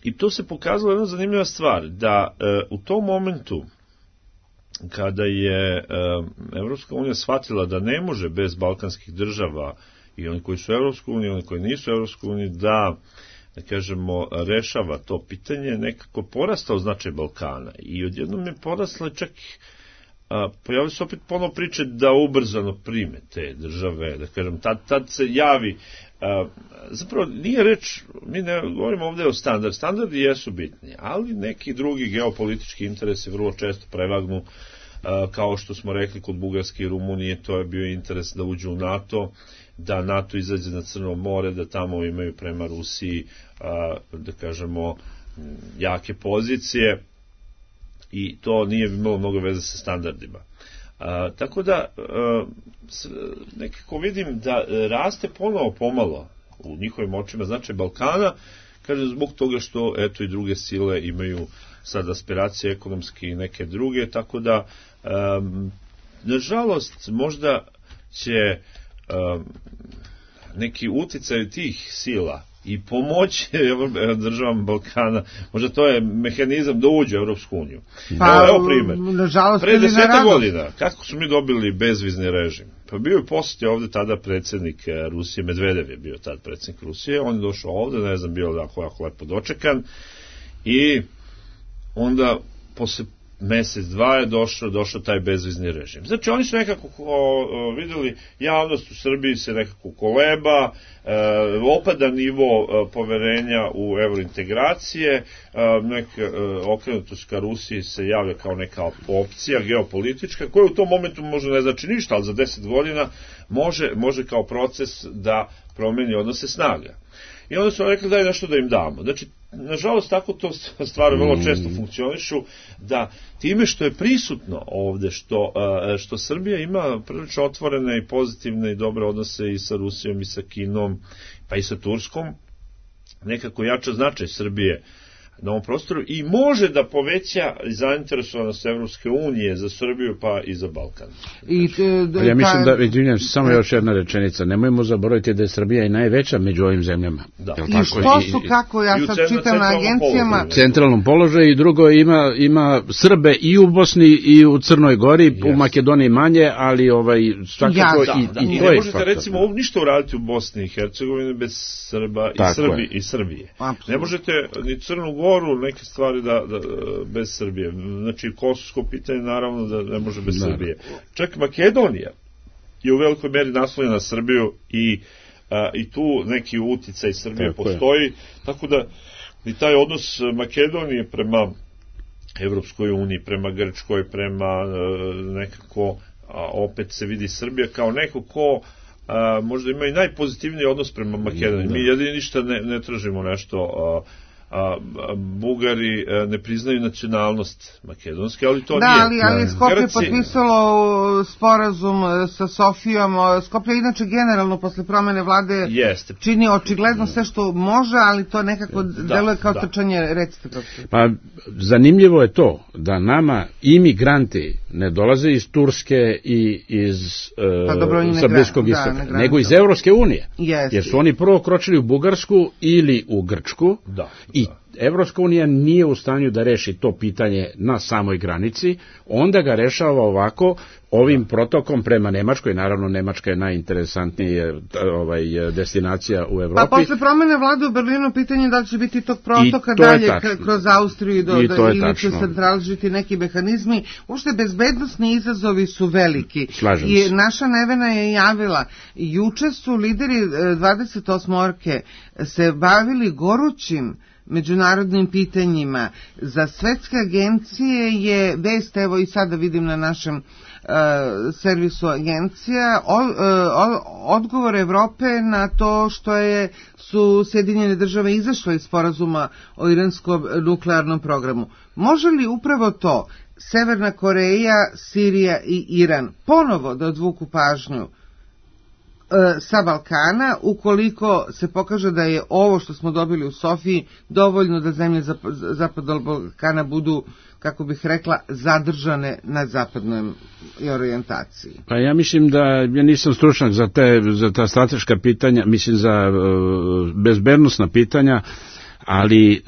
I to se pokazalo jedna zanimljiva stvar, da u tom momentu kada je Evropska unija shvatila da ne može bez balkanskih država, i oni koji su u Evropskoj uniji, oni koji nisu u Evropskoj uniji, da kažemo, rešava to pitanje, nekako porastao značaj Balkana. I odjednom je porasla čak, pojavili se opet ponovo priče da ubrzano prime te države, da kažem, tad se javi, zapravo nije reč, mi ne govorimo ovdje o standardu, standardi jesu bitni, ali neki drugi geopolitički interesi vrlo često prevagnu, kao što smo rekli kod Bugarske i Rumunije, to je bio interes da uđu u NATO, da NATO izađe na Crno more, da tamo imaju prema Rusiji, da kažemo, jake pozicije, i to nije imalo mnogo veze sa standardima. Tako da nekako vidim da raste ponovo pomalo u njihovim očima značaj Balkana, kaže zbog toga što eto i druge sile imaju sad aspiracije ekonomske i neke druge, tako da nažalost možda će neki uticaj tih sila i pomoć državama Balkana, možda to je mehanizam da uđe u Europsku uniju. Pa, evo primjer. Pre 10 godina, kako su mi dobili bezvizni režim? Pa bio je posjetio ovde tada predsjednik Rusije, Medvedev je bio tad predsjednik Rusije, on je došao ovde, ne znam, bio jako lepo dočekan, i onda posle mesec, dva je došao taj bezvizni režim. Znači, oni su nekako vidjeli, javnost u Srbiji se nekako koleba, opada nivo poverenja u evrointegracije, okrenutost ka Rusiji se javlja kao neka opcija geopolitička, koja u tom momentu možda ne znači ništa, ali za 10 godina može kao proces da promeni odnose snaga. I onda su rekli daj nešto da im damo. Znači, nažalost, tako to stvari vrlo često funkcionišu, da time što je prisutno ovde, što Srbija ima prilično otvorene i pozitivne i dobre odnose i sa Rusijom i sa Kinom, pa i sa Turskom, nekako jača značaj Srbije na ovom prostoru i može da poveća zainteresovanost Evropske unije za Srbiju pa i za Balkan. Ja mislim da, izvinjam se, samo još jedna rečenica, nemojmo zaboraviti da je Srbija i najveća među ovim zemljama. Da. I što su, kako ja sad čitam na agencijama, centralnom položaju, i drugo ima Srbe i u Bosni i u Crnoj Gori, u Makedoniji manje, ali svakako i to je. Ne možete recimo ništa uraditi u Bosni i Hercegovini bez Srba i Srbije. Ne možete ni Crnu Goru neke stvari da bez Srbije. Znači, kosovsko pitanje naravno da ne može bez Srbije. Čak Makedonija je u velikoj meri naslonjena na Srbiju i tu neki uticaj Srbije postoji, tako da i taj odnos Makedonije prema Evropskoj uniji, prema Grčkoj, prema nekako, opet se vidi Srbija kao neko ko možda ima i najpozitivniji odnos prema Makedoniji. Mi jedini ništa ne tražimo nešto, Bugari ne priznaju nacionalnost makedonske, ali to nije. Da, ali Skopje potpisalo sporazum sa Sofijom. Skopje inače generalno posle promene vlade čini očigledno sve što može, ali to nekako deluje kao trčanje, recite. Pa zanimljivo je to da nama imigranti ne dolaze iz Turske i iz sa Bliskog istoka, nego iz Evropske unije. Jer su oni prvo kročili u Bugarsku ili u Grčku, i Evropska unija nije u stanju da reši to pitanje na samoj granici, onda ga rešava ovako, ovim protokom prema Nemačkoj. Naravno, Nemačka je najinteresantnija destinacija u Evropi. Pa posle promene vlade u Berlinu pitanje da li će biti tog protoka dalje kroz Austriju ili će se tražiti neki mehanizmi. Uopšte bezbednosni izazovi su veliki. Slažem se. I naša Nevena je javila, juče su lideri 28-orke se bavili gorućim međunarodnim pitanjima. Za svetske agencije je vest, evo i sada vidim na našem servisu agencija, odgovor Evrope na to što su Sjedinjene države izašle iz sporazuma o iranskom nuklearnom programu. Može li upravo to Severna Koreja, Sirija i Iran ponovo da odvuku pažnju sa Balkana, ukoliko se pokaže da je ovo što smo dobili u Sofiji dovoljno da zemlje zapadnog Balkana budu, kako bih rekla, zadržane na zapadnoj orijentaciji? Pa ja mislim da ja nisam stručnjak za ta strateška pitanja, mislim za bezbednosna pitanja, ali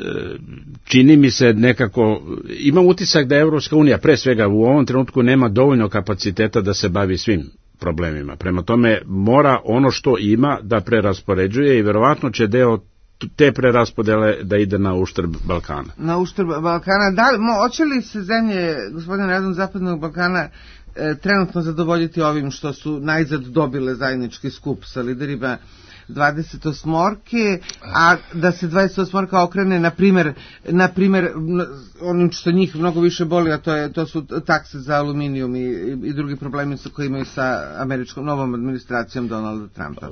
čini mi se nekako, imam utisak da Evropska unija pre svega u ovom trenutku nema dovoljno kapaciteta da se bavi svim problemima. Prema tome mora ono što ima da preraspoređuje i verovatno će deo te preraspodele da ide na uštrb Balkana. Na uštrb Balkana. Hoće li se zemlje, gospodine Radon, zapadnog Balkana trenutno zadovoljiti ovim što su najzad dobile zajednički skup sa liderima 28-orke, a da se 28-orka okrene, na primjer, onim što njih mnogo više boli, a to su takse za aluminijum i drugi problemi koje imaju sa američkom novom administracijom Donalda Trumpa.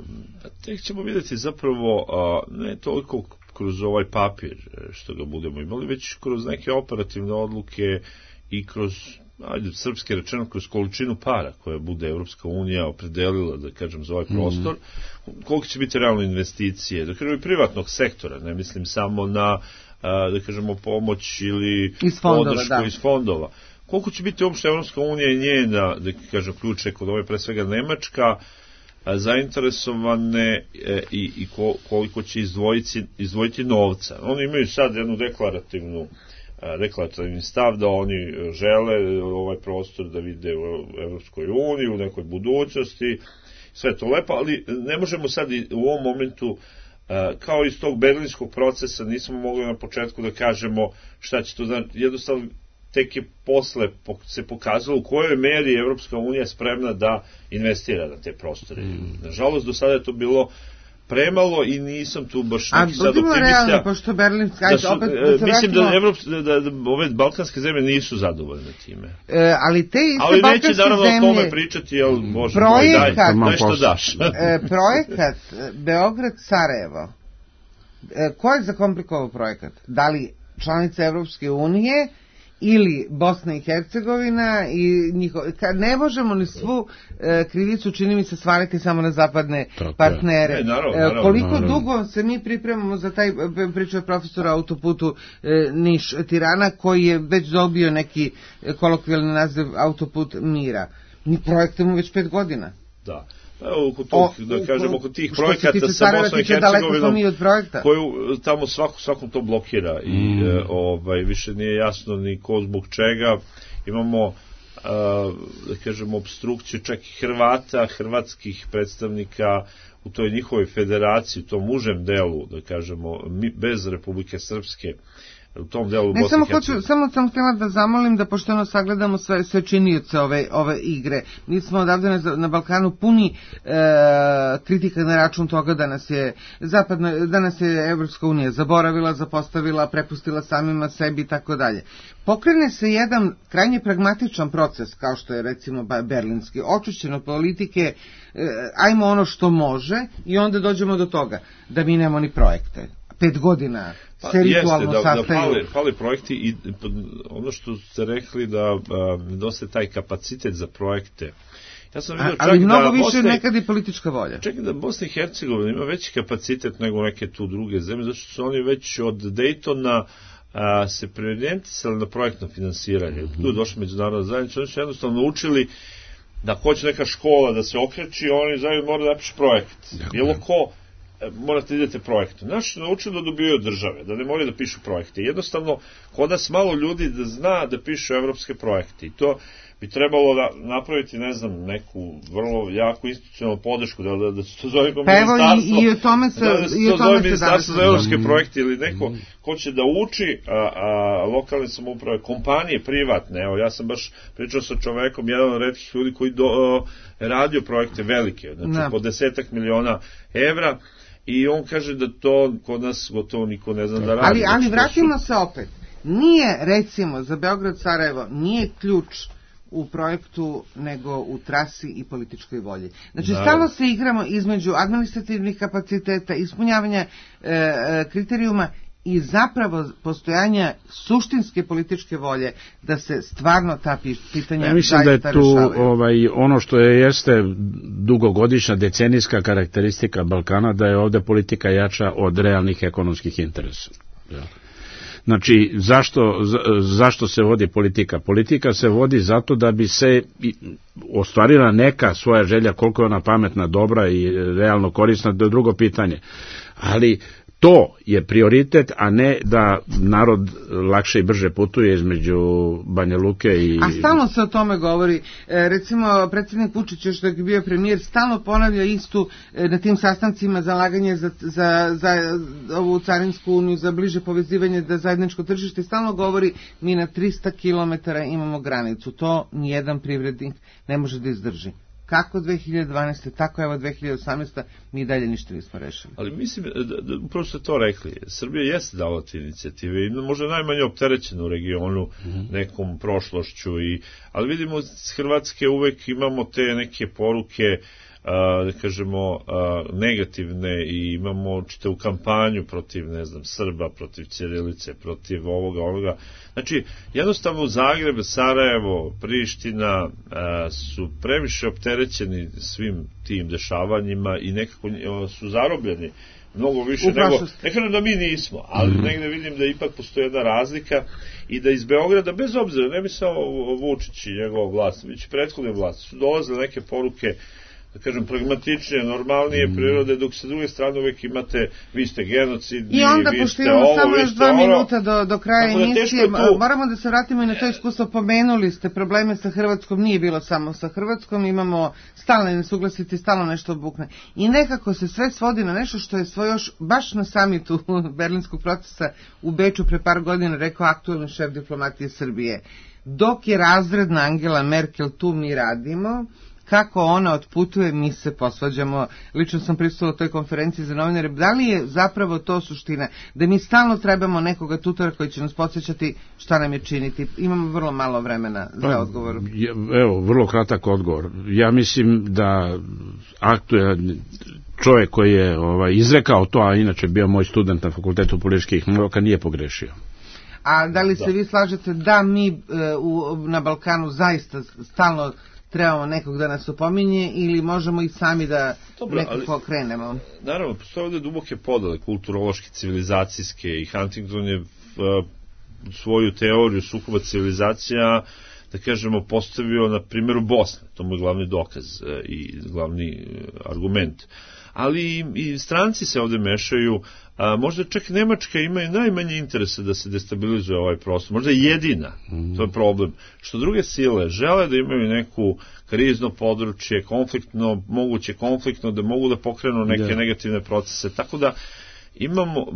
Tek ćemo vidjeti zapravo, ne toliko kroz ovaj papir što ga budemo imali, već kroz neke operativne odluke i kroz, srpski rečeno, kroz količinu para koje bude Evropska unija opredelila, da kažem, za ovaj prostor, koliko će biti realno investicije, da kažem, i privatnog sektora, ne mislim samo na, da kažemo, pomoć ili podršku iz fondova. Koliko će biti uopšte Evropska unija i njena, da kažem, ključ ekonomije, pre svega Nemačka, zainteresovane i koliko će izdvojiti novca. Oni imaju sad jednu deklarativni stav da oni žele ovaj prostor da vide u Evropskoj uniji, u nekoj budućnosti, sve to lepo, ali ne možemo sad u ovom momentu, kao iz tog berlinskog procesa, nismo mogli na početku da kažemo šta će to znači. Jednostavno, tek je posle se pokazalo u kojoj meri Evropska unija spremna da investira na te prostore. Nažalost, do sada je to bilo premalo i nisam tu baš neki sad optimista. Realno, pošto Berlinska, mislim da ove balkanske zemlje nisu zadovoljne time. Ali te iste balkanske zemlje... Ali neće naravno o tome pričati, jel, Bože moj, daj što daš. Projekat Beograd-Sarajevo, ko je zakomplikovao projekat? Da li članice Evropske unije ili Bosna i Hercegovina i ne možemo ni svu krivicu, čini mi se, svaliti samo na zapadne partnere. Koliko dugo se mi pripremamo za taj, pričao je profesor autoputu Niš-Tirana, koji je već dobio neki kolokvijalni naziv autoput mira. Mi projektujemo već 5 godina. Da. Da kažemo, oko tih projekata sa Bosnom i Hercegovinom, koju tamo svakom to blokira i više nije jasno ni ko zbog čega. Imamo, da kažemo, obstrukciju čak i Hrvata, hrvatskih predstavnika u toj njihovoj federaciji, u tom užem delu, da kažemo, bez Republike Srpske, u tom delu Bosne i Hercegovine. Samo sam htjela da zamolim da pošteno sagledamo sve činioce ove igre. Mi smo odavde na Balkanu puni kritika na račun toga da nas je Evropska unija zaboravila, zapostavila, prepustila samima sebi i tako dalje. Pokrene se jedan krajnje pragmatičan proces, kao što je recimo berlinski, očišćeno politike, ajmo ono što može i onda dođemo do toga da mi nemamo ni projekte. 5 godina se ritualno sastaju. Da fali projekti i ono što ste rekli da nedostaje taj kapacitet za projekte. Ja sam vidio ali mnogo više nekad i politička volja. Čekaj da Bosna i Hercegovina ima veći kapacitet nego neke tu druge zemlje, zato što su oni već od Daytona se preorijentisali na projektno finansiranje. Tu je došla međunarodna zajednica, oni su jednostavno naučili da hoće neka škola da se okreći, oni zajedno moraju da napišu projekt. Bilo ko morate idete projekte. Naši naučili da dobijaju države, da ne moraju da pišu projekte. Jednostavno, kod nas malo ljudi da zna da pišu evropske projekte. I to bi trebalo da napraviti, ne znam, neku vrlo jaku institucionalnu podršku, da se to zove ministarstvo. I o tome se ministarstvo za evropske projekte ili neko ko će da uči lokalne samouprave, kompanije privatne. Evo, ja sam baš pričao sa čovekom, jedan od retkih ljudi koji radio projekte velike, znači po 10 miliona evra, i on kaže da to kod nas gotovo niko ne zna da radi. Ali vratimo se opet. Nije, recimo, za Beograd-Sarajevo, nije ključ u projektu, nego u trasi i političkoj volji. Znači, stalno se igramo između administrativnih kapaciteta, ispunjavanja kriterijuma i zapravo postojanja suštinske političke volje da se stvarno ta pitanja ja mislim da je tu ono što jeste dugogodišnja decenijska karakteristika Balkana, da je ovde politika jača od realnih ekonomskih interesa. Znači, zašto se vodi politika? Politika se vodi zato da bi se ostvarila neka svoja želja, koliko je ona pametna, dobra i realno korisna, to je drugo pitanje. Ali to je prioritet, a ne da narod lakše i brže putuje između Banja Luke i... A stalno se o tome govori. Recimo, predsjednik Vučić, još dok je bio premijer, stalno ponavlja istu na tim sastancima zalaganje za ovu carinsku uniju, za bliže povezivanje, da zajedničko tržište, stalno govori mi na 300 km imamo granicu. To nijedan privrednik ne može da izdrži. Kako 2012. tako evo 2018. mi dalje ništa nismo rešili. Ali mislim, upravo ste to rekli, Srbija jeste dala te inicijative i možda najmanje opterećena u regionu nekom prošlošću, ali vidimo s Hrvatske uvek imamo te neke poruke, da kažemo, negativne, i imamo čitavu kampanju protiv, ne znam, Srba, protiv ćirilice, protiv ovoga. Znači, jednostavno Zagreb, Sarajevo, Priština su previše opterećeni svim tim dešavanjima i nekako su zarobljeni mnogo više nego, ne kažem da mi nismo, ali negde vidim da ipak postoji jedna razlika i da iz Beograda, bez obzira, ne bi samo Vučić i njegov vlast, već prethodne vlasti, su dolazile neke poruke, da kažem, pragmatičnije, normalnije prirode, dok sa druge strane uvek imate, vi ste genocidni, i onda, pošto imamo samo još 2 minuta do kraja emisije, moramo da se vratimo i na to iskustvo. Pomenuli ste probleme sa Hrvatskom, nije bilo samo sa Hrvatskom, imamo stalne nesuglasice, stalno nešto bukne. I nekako se sve svodi na nešto što je još baš na samitu berlinskog procesa u Beču pre par godina rekao aktuelni šef diplomatije Srbije. Dok je razredna Angela Merkel tu, mi radimo. Kako ona otputuje, mi se posvađamo. Lično sam prisustila toj konferenciji za novinare. Da li je zapravo to suština? Da mi stalno trebamo nekoga tutora koji će nas podsjećati šta nam je činiti? Imamo vrlo malo vremena za odgovor. Evo, vrlo kratak odgovor. Ja mislim da aktuelni čovjek koji je izrekao to, a inače bio moj student na Fakultetu političkih nauka, nije pogrešio. A da li se vi slažete da mi na Balkanu zaista stalno trebamo nekog da nas opominje ili možemo i sami da nekako krenemo? Naravno, postoje ovdje duboke podele, kulturološke, civilizacijske, i Huntington je svoju teoriju sukoba civilizacija, da kažemo, postavio na primjeru Bosne. To mu je glavni dokaz i glavni argument. Ali i stranci se ovdje mešaju, možda čak Nemačka ima i najmanje interese da se destabilizuje ovaj prostor, možda jedina, to je problem, što druge sile žele da imaju neku krizno područje, konfliktno, moguće konfliktno, da mogu da pokrenu neke negativne procese, tako da imamo,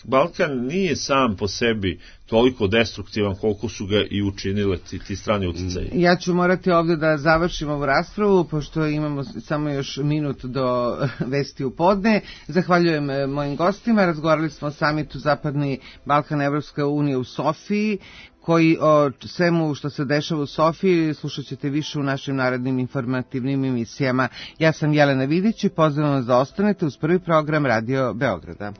Balkan nije sam po sebi toliko destruktivan koliko su ga i učinile ti strani utjecaji. Ja ću morati ovdje da završim ovu raspravu, pošto imamo samo još minut do vesti u podne. Zahvaljujem mojim gostima. Razgovarali smo o samitu Zapadni Balkan Evropska unija u Sofiji, koji o svemu što se dešava u Sofiji slušat ćete više u našim narednim informativnim emisijama. Ja sam Jelena Vidić i pozivam vas da ostanete uz prvi program Radio Beograda.